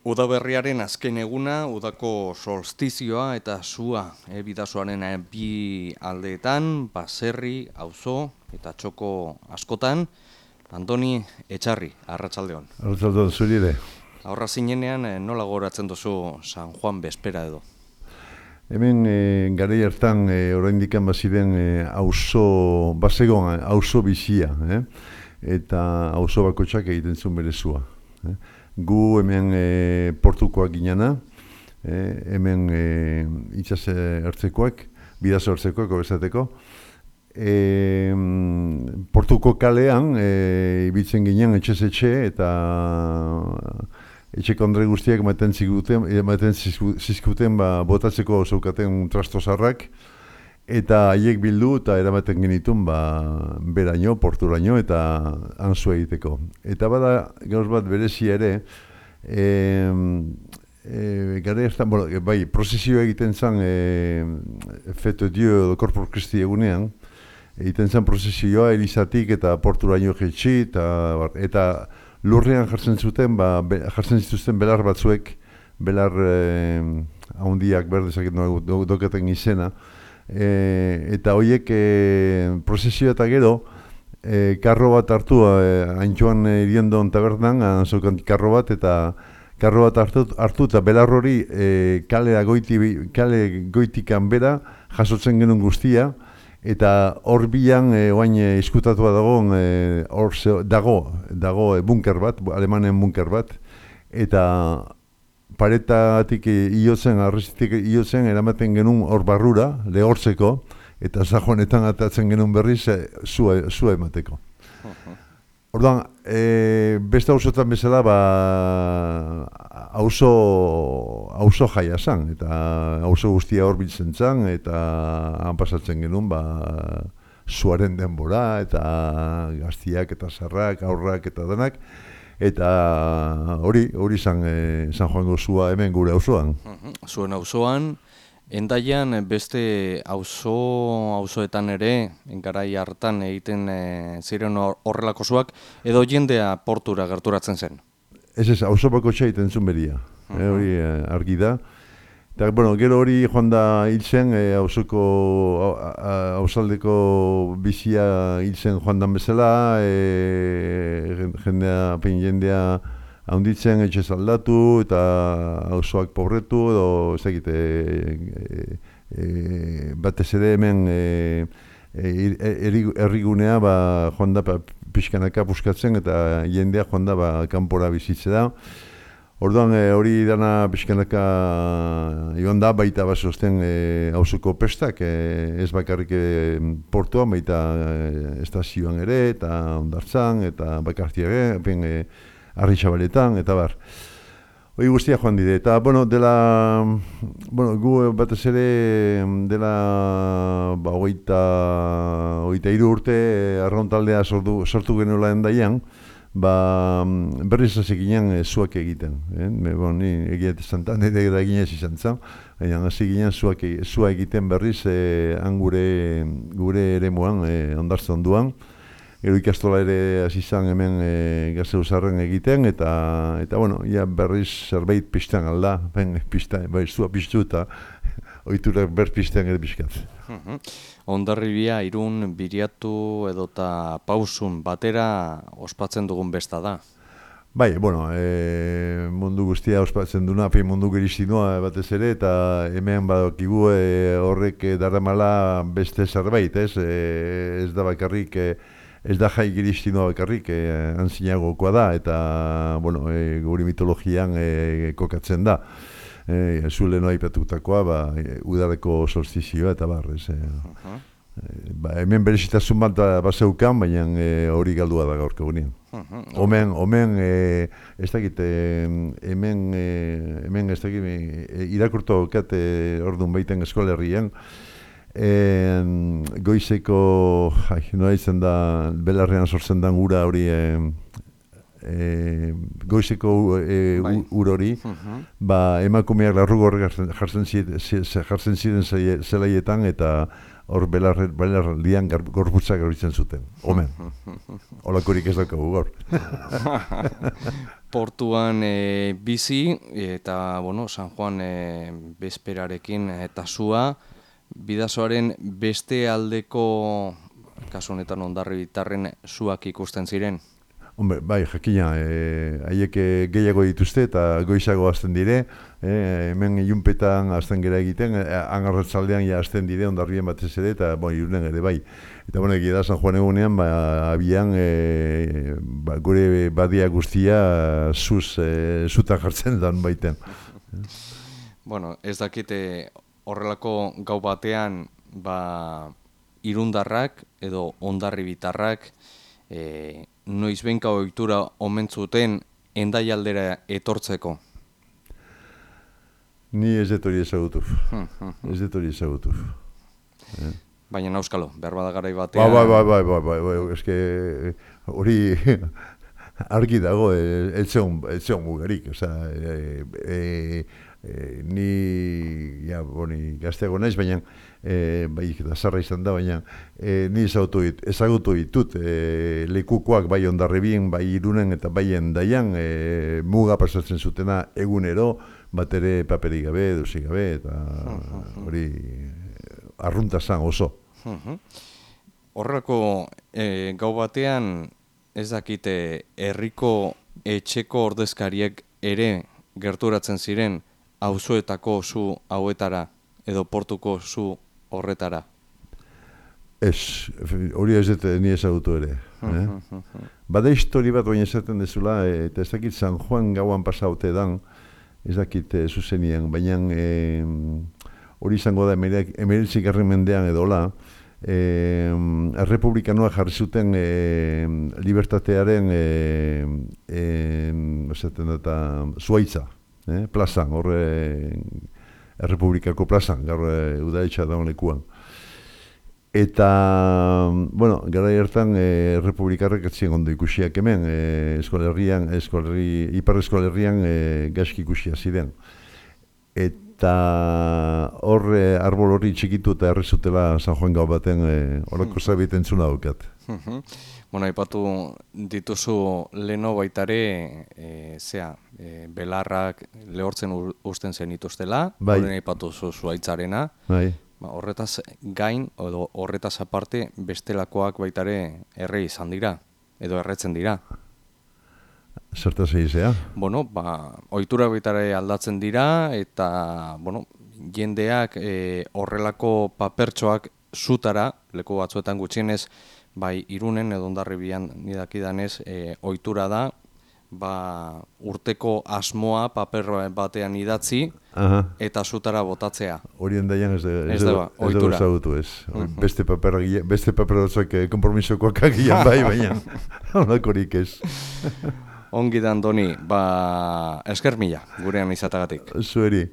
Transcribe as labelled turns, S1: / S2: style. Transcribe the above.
S1: Udaberriaren azken eguna, udako solstizioa eta sua bidasoaren bi aldeetan, baserri, auzo eta txoko askotan. Andoni Etxarri, arratsaldeon.
S2: Arratsaldeon zuri ere.
S1: Aurra zinenean nola goratzen duzu San Juan Bespera edo?
S2: Hemen garai hartan oraindik baziren auzo basegon auzo bizia, eta auzo bakoitzak egiten zuen bere sua. Gu hemen portukoak ginena, hemen itsas ertzekoak, bidaso ertzekoak obesateko. Portuko kalean ibiltzen ginen etxez etxe eta etxeko andre guztiak ematen zizkuten botatzeko zeukaten trastozarrak, eta haiek bildu eta eramaten genitun beraino, porturaino eta hanzu egiteko. Eta bada gauz bat berezia ere, prozesio egiten zen Fete Dio edo Corpus Christi egunean, egiten zen prozesioa Elizatik eta porturaino jetxi, eta lurrean jartzen zituzten belar batzuek, belar handiak berdezaket dokaten izena, eta horiek prozesio eta gero karro bat hartu Antxoan Iriondon tabernan, anzokan karro bat hartu eta belar hori kale goitikan bera jasotzen genuen guztia, eta hor bilan oain izkutatua dago bunker bat, alemanen bunker bat, eta paretatik arrestitik iotzen eramaten genuen hor barrura, lehortzeko, eta zajonetan atatzen genuen berriz zua emateko. Orduan, beste auzotan bezala auzo jaia zen, eta auzo guztia hor biltzen zen, eta han pasatzen genuen zuaren denbora, eta gaztiak eta zarrak, aurrak eta denak, eta hori San Juango zua hemen gure auzoan.
S1: Zuen auzoan, Endaian beste auzoetan ere, garai hartan egiten ziren horrelako zuak, edo jendea portura gerturatzen zen?
S2: Ez, auzo bakoitza egiten zuen beria, hori argi da. Eta, gero hori joan da hil zen, auzaldeko bizia hil zen joan dan bezala, jendea haunditzen etxez aldatu eta auzoak pobretu, edo ez dakit, batez ere hemen herrigunea joan da pixkanaka puskatzen eta jendea joan da kanpora bizitzea. Orduan hori dana pixkanaka joan da, baita basosten auzoko pestak, ez bakarrik portuan, baita estazioan ere, eta Hondartzan, eta Bakartiaga, Arritxabaletan, eta bar. Hori guztia joan dide, eta, gu batez ere dela hogeita hiru urte arraun taldea sortu genuela Endaian, berriz hasi ginen zuak egiten. Ni egia esantan, nire eginez izan zen, baina hasi ginen zua egiten berriz gure eremuan, Hondartzan duan. Gero ikastola ere hasi izan hemen Gazeuzarren egiten, eta berriz zerbait pizten alda, zua piztu eta ohiturak berpizten ere pizkat.
S1: Hondarribia, Irun, Biriatu edota Pausun batera ospatzen dugun besta da.
S2: Bai, mundu guztia ospatzen duna, mundu geristinua batez ere, eta hemen badakigu horrek daramala beste zerbait, ez da bakarrik, ez da jai geristinua bakarrik, antzinagokoa da, eta guri mitologian kokatzen da. Zule noa ipatutakoa, udareko solstizioa eta barrez. Hemen berezitasun bat bazeukan, baina hori galdua da gaurko gunean. Omen, ez dakit, hemen ez dakit, irakurtu kat orduan baiten eskolerrian, goizeko, noa izan da, belarrean sortzen den ura hori, goizeko ur hori, emakumeak larrugorrek jartzen ziren zelaietan, eta hor belarraldian gorputza garbitzen zuten. Omen, holakorik ez daukagu gaur.
S1: Portuan bizi eta bueno, San Juan bezperarekin eta sua, Bidasoaren beste aldeko, kasu honetan Hondarribitarren suak ikusten ziren.
S2: Hombre, bai, jakina, haiek gehiago dituzte eta goizago hasten dire, hemen ilunpetan hasten gera egiten, hangarratzaldean ja hasten dire, Hondarribien batez ere, eta Irunen ere bai. Eta egia da San Juan egunean, abian gure badia guztia zutan jartzen dan baiten.
S1: Bueno, ez dakite horrelako gau batean, irundarrak edo Hondarribitarrak, noizbenka ohitura omen zuten Hendaialdera etortzeko?
S2: Ni ez dut hori ezagutu. Ez dut hori ezagutu.
S1: Baina nauskalo, behar bada garai batean...
S2: Bai, eske hori argi dago, ez zeon mugarik. Ni gazteago naiz, baina bai, zarra izan da, baina ni ezagutu ditut lekukoak bai Hondarribien, bai Irunen eta bai Hendaian muga pasatzen zutena egunero, bat ere paperik gabe, dosik gabe, eta hori arrunta zan oso.
S1: Horrelako gau batean ez dakite herriko etxeko ordezkariek ere gerturatzen ziren auzoetako su hauetara edo portuko su horretara?
S2: Ez, hori ez dut ni ezagutu ere. Bada histori bat baina esaten dezula, eta ez dakit San Juan gauan pasaute dan, ez dakit zuzenien, baina hori izango da 19. mendean edola, errepublikanoa jarri zuten libertatearen zuaitza, plazan, horre errepublikako plazan, gaur udaletxa daun lekuan. Eta, bueno, gara hartan errepublikarrek atzien ondo ikusiak hemen, ipar eskolerrian gaizki ikusia ziren. Eta horre arbol hori txikitu eta errezutela San Juan gau baten horako zabiten zuna daukat.
S1: Bueno, aipatu dituzu leno baitare, belarrak lehortzen usten zen ituztela, horren aipatu zuaitzarena. Horretaz gain, edo horretaz aparte, bestelakoak baitare erre izan dira, edo erretzen dira.
S2: Zertaz egizea?
S1: Bueno, ohitura baitare aldatzen dira, eta, jendeak horrelako papertxoak zutara, leku batzuetan gutxienez, bai Irunen edo Hondarribian nidakidanez, ohitura da, urteko asmoa paper batean idatzi eta zutara botatzea.
S2: Hori Hendaian ez dugu ezagutu ez. Beste paper batzuk konpromisokoak agian bai, baina honakorik ez.
S1: Ongi da, Andoni, esker mila gurean izatagatik.
S2: Zueri.